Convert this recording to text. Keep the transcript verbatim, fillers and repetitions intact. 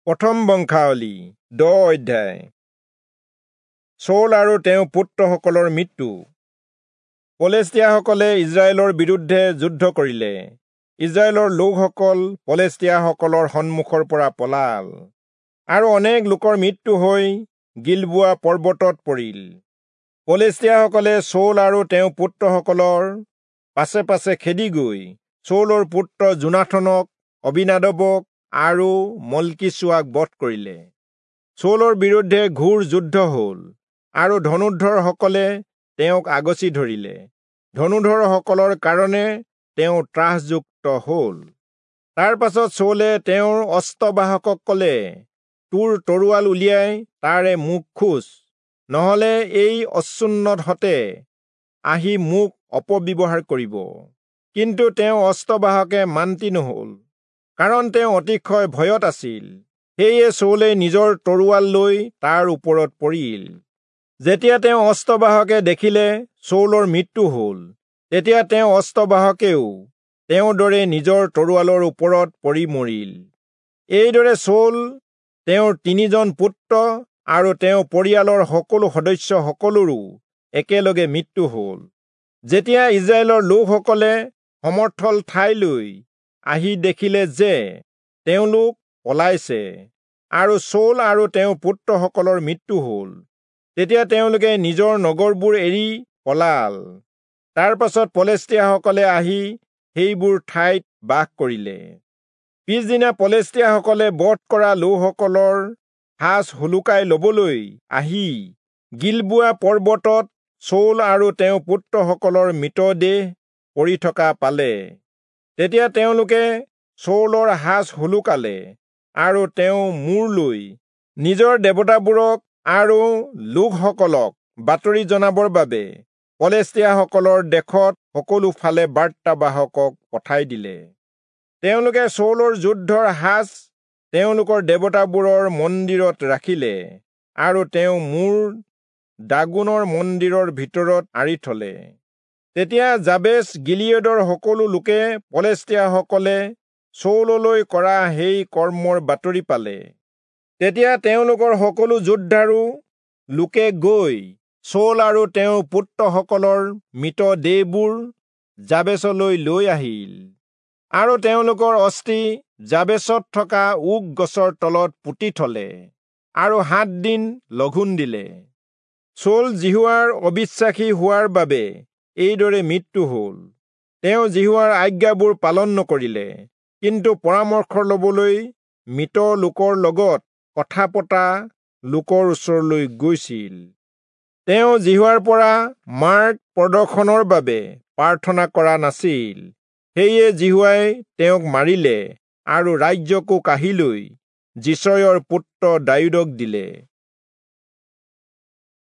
প্ৰথম বংশাৱলী দহ অধ্যায়। চৌল আৰু তেওঁৰ পুত্ৰসকলৰ মৃত্যু। পলেষ্টীয়াসকলে ইজৰাইলৰ বিৰুদ্ধে যুদ্ধ কৰিলে। ইজৰাইলৰ লোকসকল পলেষ্টীয়াসকলৰ সন্মুখৰ পৰা পলাল আৰু অনেক লোকৰ মৃত্যু হৈ গিলবোৱা পৰ্বতত পৰিল। পলেষ্টীয়াসকলে চৌল আৰু তেওঁৰ পুত্ৰসকলৰ পাছে পাছে খেদি গৈ চৌলৰ পুত্ৰ যোনাথনক, অবিনাদবক আৰু মল্কীচুৱাক বধ কৰিলে। চৌলৰ বিৰুদ্ধে ঘোৰ যুদ্ধ হল আৰু ধনুৰ্ধৰসকলে তেওঁক আগচি ধৰিলে। ধনুৰ্ধৰসকলৰ কাৰণে তেওঁ ত্ৰাসযুক্ত হল। তাৰ পাছত চৌলে তেওঁৰ অস্ত্ৰবাহকক কলে, তোৰ তৰোৱাল উলিয়াই তাৰে মোক খোঁচ, নহলে এই অচুন্নতহঁতে আহি মোক অপব্যৱহাৰ কৰিব। কিন্তু তেওঁ অস্ত্ৰবাহকে মান্তি নহল, কাৰণ তেওঁ অতিশয় ভয়ত আছিল। সেয়ে চৌলে নিজৰ তৰোৱাল লৈ তাৰ ওপৰত পৰিল। যেতিয়া তেওঁ অস্ত্ৰবাহকে দেখিলে চৌলৰ মৃত্যু হল, তেতিয়া তেওঁ অস্ত্ৰবাহকেও তেওঁৰ দৰে নিজৰ তৰোৱালৰ ওপৰত পৰি মৰিল। এইদৰে চৌল, তেওঁৰ তিনিজন পুত্ৰ আৰু তেওঁৰ পৰিয়ালৰ সকলো সদস্যসকলৰো একেলগে মৃত্যু হল। যেতিয়া ইজৰাইলৰ লোকসকলে সমৰ্থল ঠাইলৈ আহি দেখিলে যে তেওঁলোক পলাইছে আৰু চৌল আৰু তেওঁৰ পুত্ৰসকলৰ মৃত্যু হল, তেতিয়া তেওঁলোকে নিজৰ নগৰবোৰ এৰি পলাল। তাৰ পাছত পলেষ্টীয়াসকলে আহি সেইবোৰ ঠাইত বাস কৰিলে। পিছদিনা পলেষ্টীয়াসকলে বধ কৰা লোকসকলৰ সাজ সোলোকাই লবলৈ আহি গিলবোৱা পৰ্বতত চৌল আৰু তেওঁৰ পুত্ৰসকলৰ মৃতদেহ পৰি থকা পালে। তেতিয়া তেওঁলোকে চৌলৰ সাজ সোলোকালে আৰু তেওঁ মূৰ লৈ নিজৰ দেৱতাবোৰক আৰু লোকসকলক বাতৰি জনাবৰ বাবে পলেষ্টীয়াসকলৰ দেশত সকলো ফালে বাৰ্তাবাহকক পঠাই দিলে। তেওঁলোকে চৌলৰ যুদ্ধৰ সাজ তেওঁলোকৰ দেৱতাবোৰৰ মন্দিৰত ৰাখিলে আৰু তেওঁ মূৰ দাগোনৰ মন্দিৰৰ ভিতৰত আঁৰি থলে। তেতিয়া যাবেচ গিলিয়দৰ সকলো লোকে পলেষ্টীয়াসকলে চৌললৈ কৰা সেই কৰ্মৰ বাতৰি পালে। তেতিয়া তেওঁলোকৰ সকলো যোদ্ধাৰো লোকে গৈ চৌল আৰু তেওঁৰ পুত্ৰসকলৰ মৃতদেহবোৰ যাবেচলৈ লৈ আহিল আৰু তেওঁলোকৰ অস্থি যাবেচত থকা ওক গছৰ তলত পুতি থলে আৰু সাত দিন লঘোণ দিলে। চৌল যিহোৱাৰ অবিশ্বাসী হোৱাৰ বাবে এইদৰে মৃত্যু হল। তেওঁ যিহোৱাৰ আজ্ঞাবোৰ পালন নকৰিলে, কিন্তু পৰামৰ্শ লবলৈ মৃত লোকৰ লগত কথা পতা লোকৰ ওচৰলৈ গৈছিল। তেওঁ যিহোৱাৰ পৰা মাৰ্গ প্ৰদৰ্শনৰ বাবে প্ৰাৰ্থনা কৰা নাছিল। সেয়ে যিহোৱাই তেওঁক মাৰিলে আৰু ৰাজ্যকো কাঢ়ি লৈ যিচয়ৰ পুত্ৰ দায়ূদক দিলে।